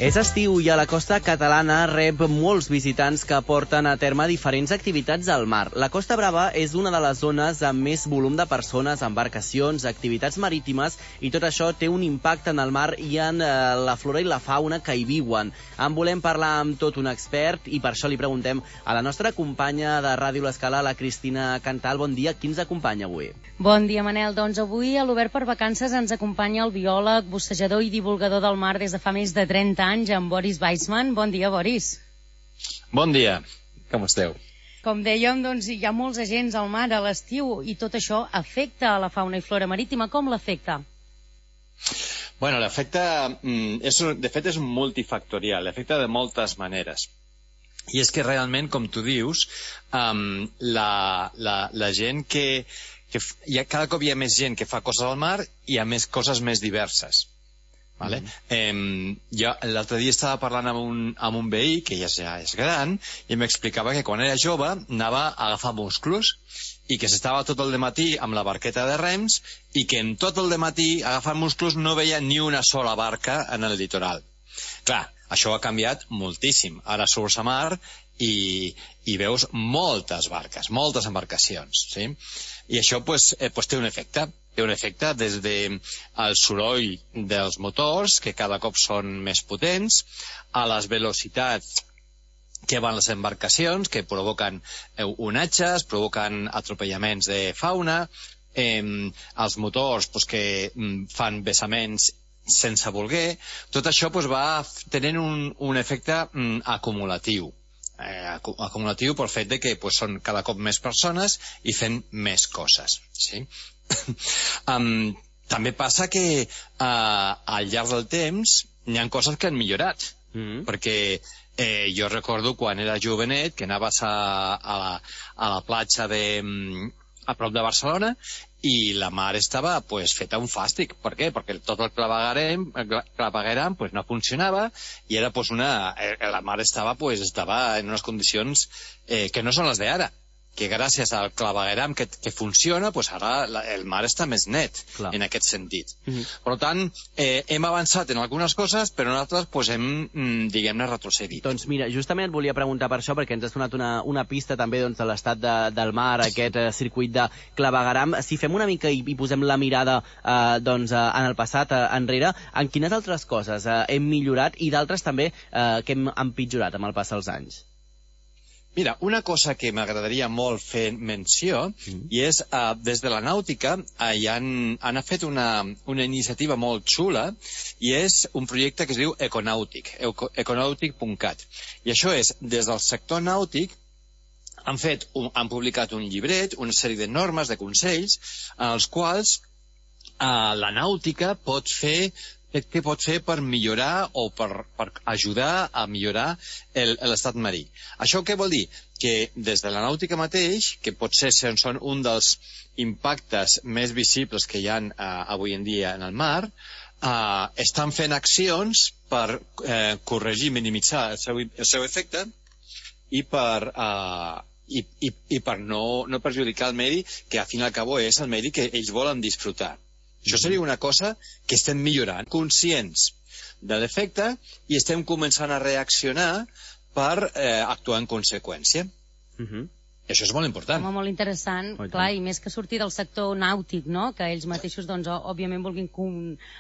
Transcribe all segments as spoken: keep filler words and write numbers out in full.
És estiu i a la costa catalana rep molts visitants que porten a terme diferents activitats al mar. La Costa Brava és una de les zones amb més volum de persones, embarcacions, activitats marítimes, i tot això té un impacte en el mar i en eh, la flora i la fauna que hi viuen. En volem parlar amb tot un expert i per això li preguntem a la nostra companya de Ràdio L'Escala, la Cristina Cantal. Bon dia, qui ens acompanya avui? Bon dia, Manel. Doncs avui a l'Obert per Vacances ens acompanya el biòleg, bussejador i divulgador del mar des de fa més de trenta anys, en Boris Weissman. Bon dia, Boris. Bon dia, com esteu? Com dèiem, doncs, hi ha molts agents al mar a l'estiu i tot això afecta a la fauna i flora marítima. Com l'afecta? Bueno, l'efecte, és, de fet, és multifactorial, l'afecta de moltes maneres. I és que realment, com tu dius, um, la, la, la gent que, que hi ha, cada cop hi ha més gent que fa coses al mar i hi ha més coses més diverses. Vale? Mm. Eh, jo l'altre dia estava parlant amb un, amb un veí que ja és gran i m'explicava que quan era jove anava a agafar musclos i que s'estava tot el dematí amb la barqueta de rems i que en tot el dematí agafant musclos no veia ni una sola barca en el litoral. Clar, això ha canviat moltíssim. Ara surts a mar i, i veus moltes barques, moltes embarcacions, sí? I això pues, eh, pues té un efecte. Té un efecte des del soroll dels motors, que cada cop són més potents, a les velocitats que van les embarcacions, que provoquen onatges, provoquen atropellaments de fauna, eh, els motors pues, que fan vessaments sense voler. Tot això pues, va tenint un, un efecte mm, acumulatiu. Eh, acumulatiu pel fet de que pues, són cada cop més persones i fent més coses, sí? um, també passa que uh, al llarg del temps hi ha coses que han millorat, mm-hmm. perquè eh, jo recordo quan era jovenet que anaves a, a, la, a la platja de, a prop de Barcelona i la mar estava pues, feta un fàstic. Per què? Perquè tot el clavegueram, clavegueram pues, no funcionava i era, pues, una, eh, la mar estava, pues, estava en unes condicions eh, que no són les d'ara, que gràcies al clavegueram que, que funciona, pues ara la, el mar està més net. Clar. En aquest sentit. Mm-hmm. Per tant, eh, hem avançat en algunes coses, però en altres pues, hem, diguem-ne, retrocedit. Doncs mira, justament et volia preguntar per això, perquè ens has donat una, una pista també doncs, de l'estat de, del mar, aquest eh, circuit de clavegueram. Si fem una mica i, i posem la mirada eh, doncs, eh, en el passat, eh, enrere, en quines altres coses eh, hem millorat i d'altres també eh, que hem empitjorat amb el pas dels anys? Mira, una cosa que m'agradaria molt fer menció, mm. i és, uh, des de la nàutica, uh, hi han, han fet una, una iniciativa molt xula, i és un projecte que es diu Econàutic, econàutic punt cat. I això és, des del sector nàutic, han, fet un, han publicat un llibret, una sèrie de normes, de consells, en els quals uh, la nàutica pot fer què pot fer per millorar o per, per ajudar a millorar l'estat marí. Això què vol dir? Que des de la nàutica mateix, que potser són un dels impactes més visibles que hi ha eh, avui en dia en el mar, eh, estan fent accions per eh, corregir, minimitzar el seu, el seu efecte i per, eh, i, i, i per no, no perjudicar el medi, que al fin i al cabo és el medi que ells volen disfrutar. Això seria una cosa que estem millorant, conscients de l'efecte, i estem començant a reaccionar per eh, actuar en conseqüència. Uh-huh. Això és molt important. Home, molt interessant, oh, clar, i més que sortir del sector nàutic, no?, que ells mateixos, doncs, òbviament vulguin con,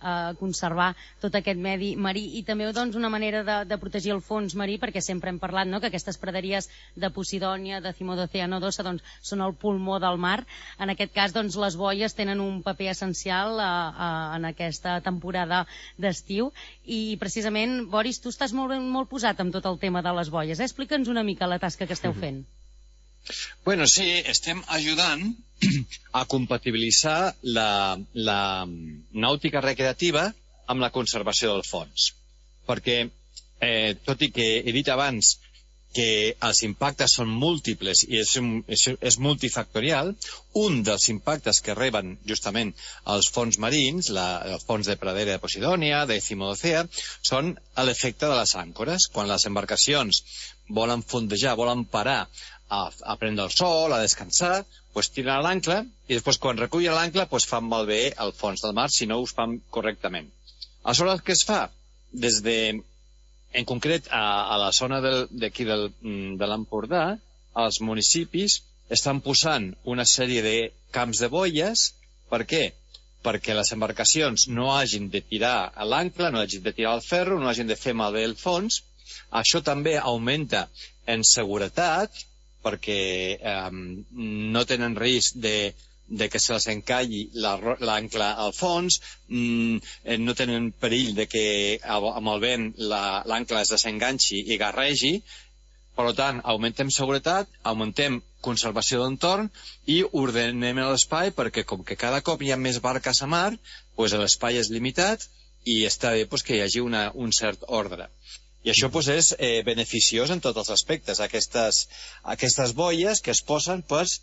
uh, conservar tot aquest medi marí, i també, doncs, una manera de, de protegir el fons marí, perquè sempre hem parlat, no?, que aquestes praderies de Posidònia, de Cimo d'Oceano Dosa, doncs, són el pulmó del mar. En aquest cas, doncs, les boies tenen un paper essencial uh, uh, en aquesta temporada d'estiu, i precisament, Boris, tu estàs molt, molt posat amb tot el tema de les boies, eh? Explica'ns una mica la tasca que esteu fent. Bueno, sí, estem ajudant a compatibilitzar la, la nàutica recreativa amb la conservació del fons. Perquè, eh, tot i que he dit abans que els impactes són múltiples i és, és, és multifactorial, un dels impactes que reben justament els fons marins, la, els fons de pradera de Posidònia, de Cimo d'Oceà, són l'efecte de les àncores. Quan les embarcacions volen fondejar, volen parar a, a prendre el sol, a descansar, pues tiren a l'ancle i després quan recullen l'ancle pues fan malbé el fons del mar si no ho fan correctament. Aleshores, què es fa? Des de en concret, a, a la zona d'aquí del, de l'Empordà, els municipis estan posant una sèrie de camps de boies. Per què? Perquè les embarcacions no hagin de tirar a l'ancle, no hagin de tirar al ferro, no hagin de fer malbé el fons. Això també augmenta en seguretat, perquè eh, no tenen risc de de que se les encalli l'ancle al fons, mm, no tenen perill de que amb el vent l'ancle es desenganxi i garregi. Per tant, augmentem seguretat, augmentem conservació d'entorn i ordenem l'espai, perquè com que cada cop hi ha més barques a mar, doncs l'espai és limitat i està bé doncs, que hi hagi una, un cert ordre. I això doncs, és eh, beneficiós en tots els aspectes. Aquestes, aquestes boies que es posen pues,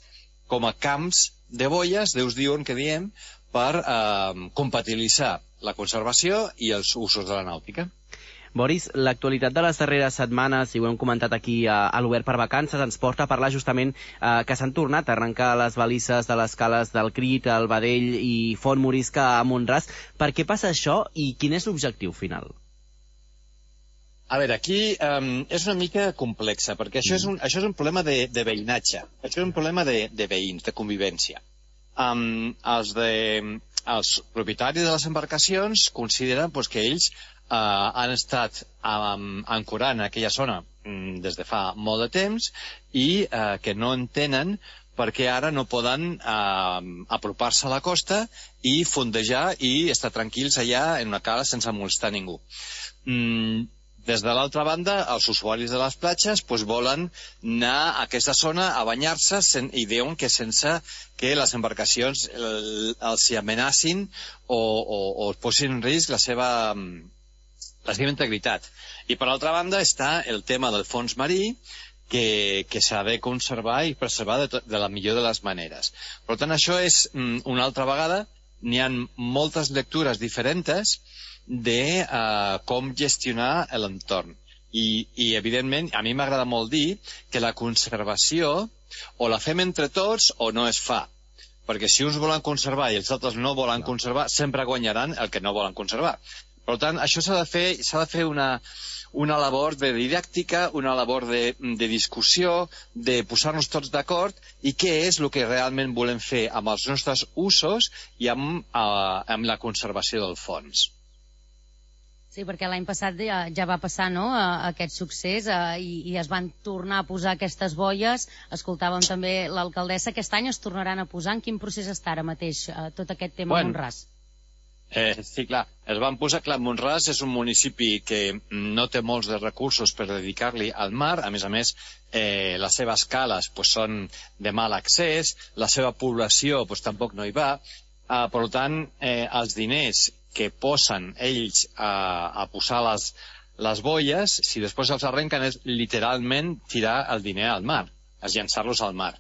com a camps de boies, Déus diuen que diem, per eh, compatibilitzar la conservació i els usos de la nàutica. Boris, l'actualitat de les darreres setmanes, i ho hem comentat aquí a, a l'Obert per Vacances, ens porta a parlar justament eh, que s'han tornat a arrencar les balises de les cales del Crit, el Badell i Font Morisca a Mont-ras. Per què passa això i quin és l'objectiu final? A veure, aquí um, és una mica complexa, perquè això és un, això és un problema de, de veïnatge, això és un problema de, de veïns, de convivència. Um, els, de, els propietaris de les embarcacions consideren pues, que ells uh, han estat um, ancorant en aquella zona um, des de fa molt de temps i uh, que no entenen perquè ara no poden uh, apropar-se a la costa i fondejar i estar tranquils allà en una cala sense molestar ningú. Mm, Des de l'altra banda, els usuaris de les platges pues, volen anar a aquesta zona a banyar-se i diuen que sense que les embarcacions el, els hi amenacin o, o, o posin en risc la seva, la seva integritat. I per altra banda està el tema del fons marí, que, que s'ha de conservar i preservar de, to, de la millor de les maneres. Per tant, això és una altra vegada, n'hi ha moltes lectures diferents de uh, com gestionar l'entorn. I, I, evidentment, a mi m'agrada molt dir que la conservació o la fem entre tots o no es fa. Perquè si uns volen conservar i els altres no volen conservar, sempre guanyaran el que no volen conservar. Per tant, això s'ha de fer, s'ha de fer una, una labor de didàctica, una labor de, de discussió, de posar-nos tots d'acord i què és el que realment volem fer amb els nostres usos i amb, uh, amb la conservació del fons. Sí, perquè l'any passat ja, ja va passar no, aquest succés eh, i, i es van tornar a posar aquestes boies. Escoltàvem també l'alcaldessa. Aquest any es tornaran a posar. En quin procés està ara mateix eh, tot aquest tema bueno, Mont-ras? Eh, sí, clar. Es van posar, clar, Mont-ras és un municipi que no té molts de recursos per dedicar-li al mar. A més a més, eh, les seves cales pues, són de mal accés, la seva població pues, tampoc no hi va. Eh, per tant, eh, els diners que posen ells a, a posar les, les boies, si després els arrenquen és literalment tirar el diner al mar, és llançar-los al mar.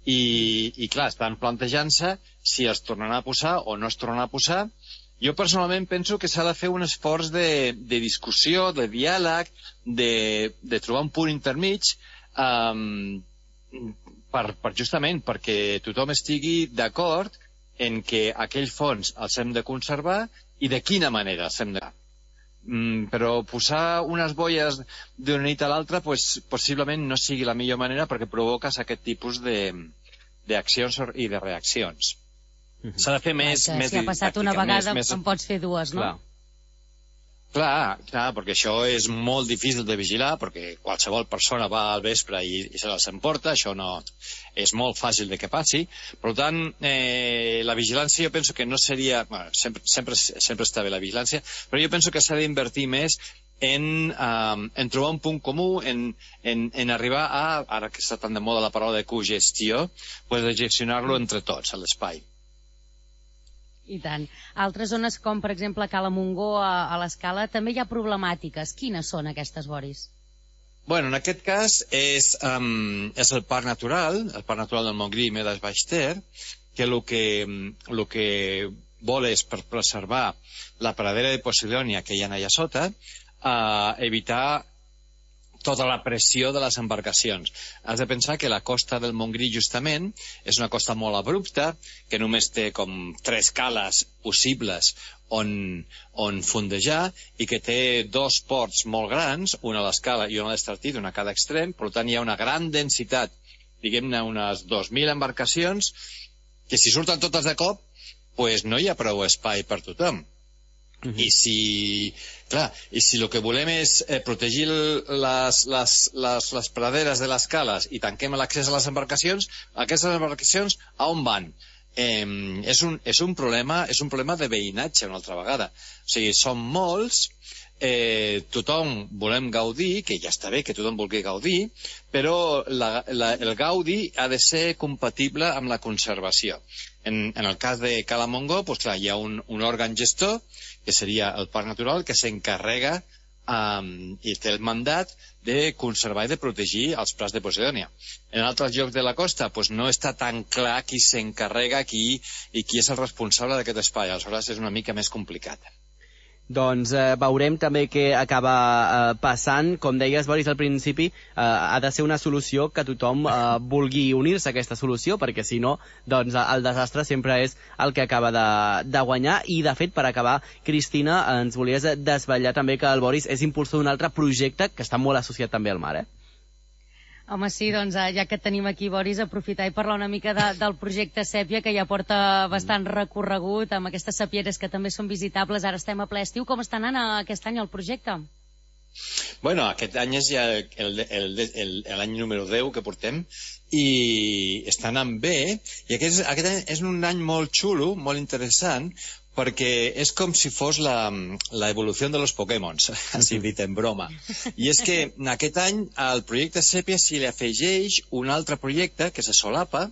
I, i clar, estan plantejant-se si els tornaran a posar o no es tornaran a posar. Jo personalment penso que s'ha de fer un esforç de, de discussió, de diàleg, de, de trobar un punt intermig, um, per, per justament perquè tothom estigui d'acord en que aquell fons els hem de conservar i de quina manera els hem de... Mm, però posar unes boies d'una nit a l'altra pues, possiblement no sigui la millor manera perquè provoques aquest tipus d'accions i de reaccions. Mm-hmm. S'ha de fer més... Clar, més si ha passat una vegada més, més... en pots fer dues, no? Clar. Clar, clar, perquè això és molt difícil de vigilar, perquè qualsevol persona va al vespre i, i se les emporta, això no és molt fàcil de que passi. Per tant, eh, la vigilància jo penso que no seria... Bueno, sempre, sempre, sempre està bé la vigilància, però jo penso que s'ha d'invertir més en, um, en trobar un punt comú, en, en, en arribar a, ara que està tan de moda la paraula de cogestió, pues de gestionar-lo entre tots, a l'espai. I tant. Altres zones com, per exemple, Cala Montgó, a, a l'Escala, també hi ha problemàtiques. Quines són aquestes, Boris? Bueno, en aquest cas és, um, és el parc natural, el parc natural del Montgrí i Medes Baix Ter, que el que, el que vol és per preservar la pradera de Posidònia que hi ha allà sota, uh, evitar tota la pressió de les embarcacions. Has de pensar que la costa del Montgrí, justament, és una costa molt abrupta, que només té com tres cales possibles on, on fondejar, i que té dos ports molt grans, una a l'escala i una a l'Estartit, una a cada extrem. Per tant, hi ha una gran densitat, diguem-ne unes dos mil embarcacions, que si surten totes de cop, pues no hi ha prou espai per tothom. Uh-huh. I si, clar, i si el que volem és eh, protegir les, les, les, les praderes de les cales i tanquem l'accés a les embarcacions, aquestes embarcacions a on van? Eh, és, un, és un problema és un problema de veïnatge una altra vegada. O sigui, som molts, eh, tothom volem gaudir, que ja està bé que tothom vulgui gaudir, però la, la, el gaudi ha de ser compatible amb la conservació. En, en el cas de Cala Montgó, pues clar, hi ha un, un òrgan gestor, que seria el Parc Natural, que s'encarrega um, i té el mandat de conservar i de protegir els prats de Posidònia. En altres llocs de la costa pues no està tan clar qui s'encarrega qui, i qui és el responsable d'aquest espai. Aleshores és una mica més complicat. Doncs eh, veurem també què acaba eh, passant. Com deies, Boris, al principi, eh, ha de ser una solució que tothom eh, vulgui unir-se a aquesta solució, perquè si no, doncs el desastre sempre és el que acaba de, de guanyar. I, de fet, per acabar, Cristina, ens volies desvetllar també que el Boris és impulsor d'un altre projecte que està molt associat també al mar, eh? Home, sí, doncs ja que et tenim aquí, Boris, aprofitar i parlar una mica de, del projecte Sèpia, que ja porta bastant recorregut, amb aquestes sapieres que també són visitables. Ara estem a ple estiu. Com està anant aquest any el projecte? Bueno, aquest any és ja l'any número deu que portem i està anant bé, i aquest, aquest any és un any molt xulo, molt interessant, perquè és com si fos la, la evolució de los Pokémon, així dit en broma. I és que aquest any al projecte Sèpia s'hi li afegeix un altre projecte que se solapa,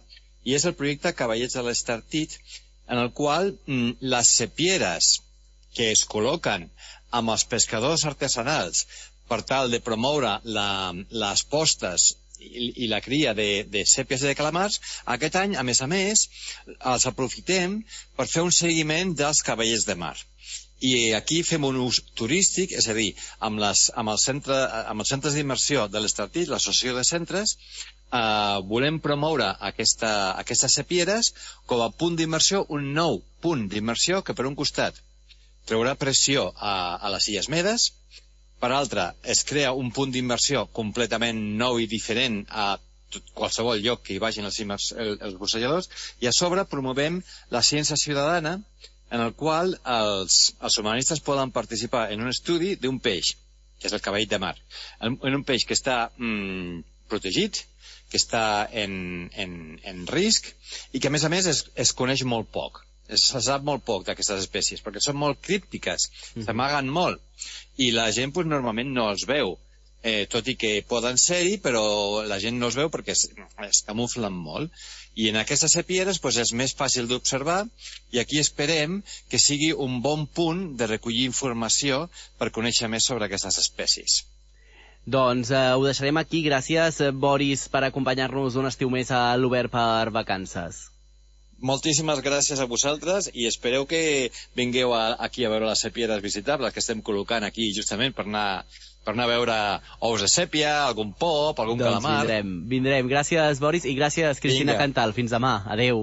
i és el projecte Cavallets de l'Estartit, en el qual mm, les sepieres que es col·loquen amb els pescadors artesanals per tal de promoure la, les postes i, i la cria de, de sèpies i de calamars, aquest any, a més a més, els aprofitem per fer un seguiment dels cavallets de mar. I aquí fem un ús turístic, és a dir, amb, les, amb, el centre, amb els centres d'immersió de l'Estartit, l'associació de centres, eh, volem promoure aquesta, aquestes sepieres com a punt d'immersió, un nou punt d'immersió que per un costat treurà pressió a, a les Illes Medes, per altra, es crea un punt d'immersió completament nou i diferent a tot, qualsevol lloc que hi vagin els, immers, el, els bussejadors, i a sobre promovem la ciència ciutadana, en el qual els, els humanistes poden participar en un estudi d'un peix, que és el cavall de mar, en, en un peix que està mm, protegit, que està en, en, en risc, i que a més a més es, es coneix molt poc. Se sap molt poc d'aquestes espècies, perquè són molt críptiques, mm-hmm. s'amaguen molt, i la gent pues, normalment no els veu, eh, tot i que poden ser-hi, però la gent no els veu perquè es, es camuflen molt. I en aquestes sepieres pues, és més fàcil d'observar, i aquí esperem que sigui un bon punt de recollir informació per conèixer més sobre aquestes espècies. Doncs eh, ho deixarem aquí. Gràcies, Boris, per acompanyar-nos un estiu més a l'Obert per Vacances. Moltíssimes gràcies a vosaltres, i espereu que vingueu a, aquí a veure les sepieres visitables que estem col·locant aquí justament per anar, per anar a veure ous de sèpia, algun pop, algun doncs calamar. Vindrem, vindrem. Gràcies, Boris, i gràcies, Cristina Vinga. Cantal. Fins demà. Adeu.